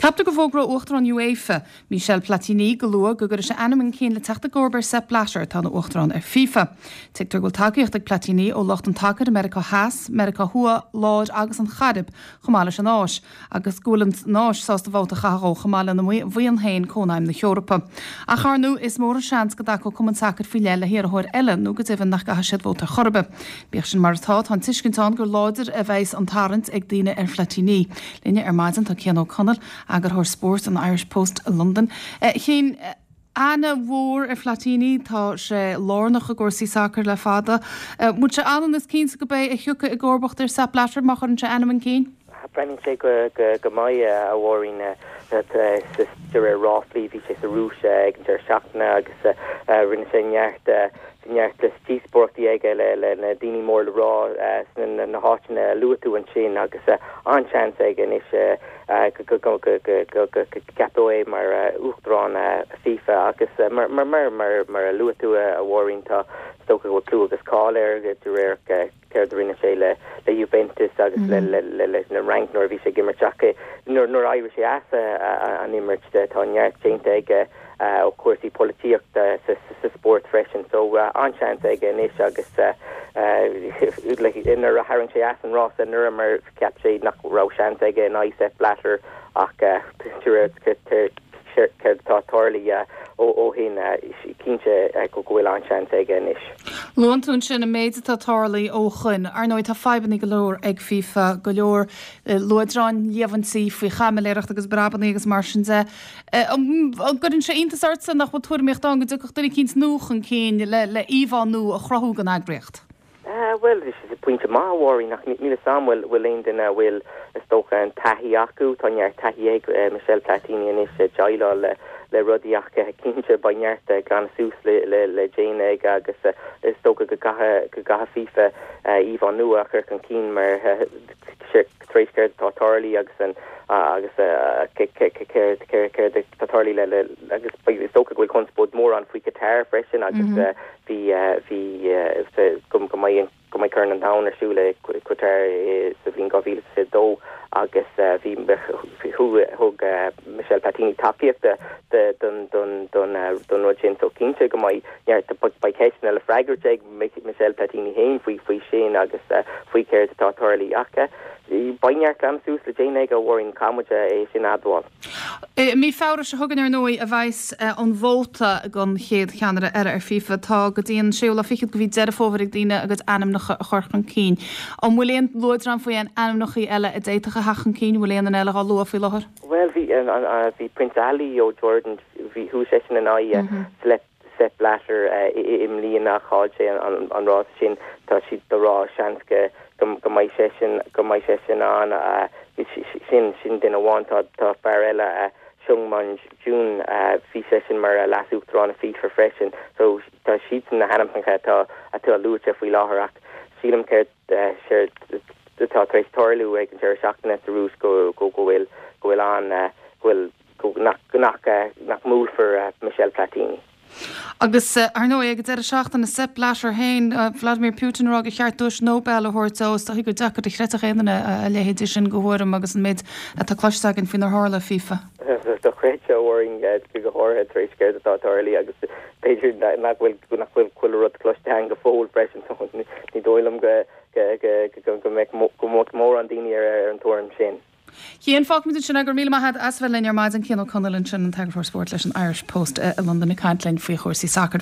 Ceaptar go bhfógróidh Uachtarán UEFA, Michel Platini, go luath go gcuirfidh sé a ainm chun cinn le teacht i gcomharba ar Sepp Blatter, atá ina Uachtarán ar FIFA. Tuigtear go bhfuil tacaíocht ag Platini ó lucht an tsacair i Meiriceá Theas, Meiriceá Thuaidh, Láir agus an Chairib, chomh maith leis an Áis, agus go bhfuil an Áis sásta vóta a chaitheamh dhó chomh maith lena bhuíon féin, Cónaidhm na hEorpa. Ach, ar ndóigh, is mór an seans go dtacódh cumann sacair faoi leith le hiarrthóir eile nó go deimhin nach gcaithfidh siad vóta ar chor ar bith. Bíodh sin mar atá, tá an tuiscint ann gur láidir a bheas an tarraingt ag daoine ar Phlatini. Linne ar maidin tá Cian Ó Conaill, eagarthóir spóirt an Irish Post i Londain. A Chiain, aithne mhór ar Phlatini, tá sé lárnach i gcúrsaí sacair le fada. An bhfuil sé ionann is cinnte go b'é a thiocfaidh i gcomharbacht ar Sepp Blatter má chuireann sé a ainm chun cinn? Breathnaíonn sé go mbeidh, a Mháirín. De réir ráflaí, bhí sé sa Rúis ag an deireadh seachtaine agus rinne sé neart neart díospóireachtaí aige le na daoine mór le rá sna na háiteanna a luaigh tú ansin agus an-seans aige anois go gceapfaí é mar Uachtarán FIFA agus mar mar a luaigh tú a Mháirín tá is dócha go bhfuil clú agus cáil air de réir céard a rinne sé le Juventus agus leis an Fhrainc nuair a bhí sé ag imirt ach nuair a éirigh sé as an imirt tá neart déanta aige ó chúrsaí polaitíochta sa spórt freisin so an-seans aige anois agus nuair a tharraing sé as an rás anuraidh mar cheap sé nach raibh seans aige in aghaidh Sepp Blatter ach de réir céard atá tarlaithe ó shin, cinnte go bhfuil an-seans aige anois. Luann tú ansin an méid atá tarlaithe ó shoin. Ar ndóigh tá fadhbanna go leor ag FIFA, go leor luaidreáin, líomhaintí faoi chaimiléireacht agus breabanna agus mar sin de. An gcuireann sé iontas ortsa nach bhfuil tuairimíocht ann go dtiocfadh duine eicínt nua chun cinn le íomhá nua a chruthú don eagraíocht? Bhuel, is pointe maith, a Mháirín, ach níl 'fhios a'm bhfuil bhfuil aon duine a bhfuil, is dócha, an taithí acu. Tá neart taithí ag Michel Platini anois ag déileáil le le rudaí ach cinnte beidh neart glanadh suas le le le déanamh aige agus is dócha go gcaithfidh go gcaithfidh FIFA íomhá nua a chur chun cinn mar tar éis céard atá tarlaithe agus an agus céard céard atá tarlaithe le le agus is dócha go bhfuil conspóid mór ann faoi Qatar freisin agus Bhí, bhí, go mbeidh, go mbeidh Corn an Domhain ar siúl i Qatar sa bhliain 2022 agus bhí, thug Michel Platini tacaíocht don, don, don, don rud sin so cinnte go mbeidh neart, beidh ceisteanna le freagairt ag Michel Platini féin faoi, faoi sin agus faoi céard atá tarlaithe ach beidh neart glanadh suas le déanamh aige a Mháirín, caithfidh muid é sin a admháil. I mí Feabhra seo chugainn, ar ndóigh, a bheas an vóta don chéad cheannaire eile ar FIFA. Tá go dtí an séú lá fichead de mhí Deireadh Fómhair ag daoine a gcuid ainmneacha a chur chun cinn. An bhfuil aon luaidreán faoi aon ainmneacha eile a d'fhéadfadh a theacht chun cinn? An bhfuil aon duine eile dhá lua faoi láthair? Bhuel, bhí, bhí Prince Ali ó Jordan, bhí, chuaigh seisean in aghaidh Sepp Blatter i mbliana ach chaill sé an rás sin. Tá siad ag rá seans go go mbeidh seisean go mbeidh seisean ann. Sin sin duine amháin. Tá tá fear eile Sung Mun Jun bhí seisean mar leas-uachtarán i FIFA freisin. So tá siadsan na hainmneacha atá atá luaite faoi láthair ach sílim céard séard atá tar éis tarlú ag an deireadh seachtaine sa Rúis go go go bhfuil go bhfuil an go bhfuil nach nach mbuailfear Michel Platini. Agus, ar ndóigh, ag an deireadh seachtaine, Sepp Blatter féin, Vladimir Putin ag rá gur cheart duais Nobel a thabhairt dó. Is dóichí gur deacair a chreidfeadh aon duine a leithéidí sin de thuairim agus an méid atá cloiste againn faoinar tharla i FIFA. Dochreidte, a Mháirín, go háirithe tar éis céard atá tarlaithe agus b'fhéidir nach bhfuil nach bhfuil chuile rud cloiste againn go fóill freisin so ní dóigh liom go go mbeadh mórán daoine ar an tuairim sin. Cian, fágfaimid ansin é. Go raibh míle maith agat as a bheith linn ar maidin. Cian Ó Conaill ansin, an t-eagarthóir spóirt leis an Irish Post i Londain ag caint linn faoi chúrsaí sacair.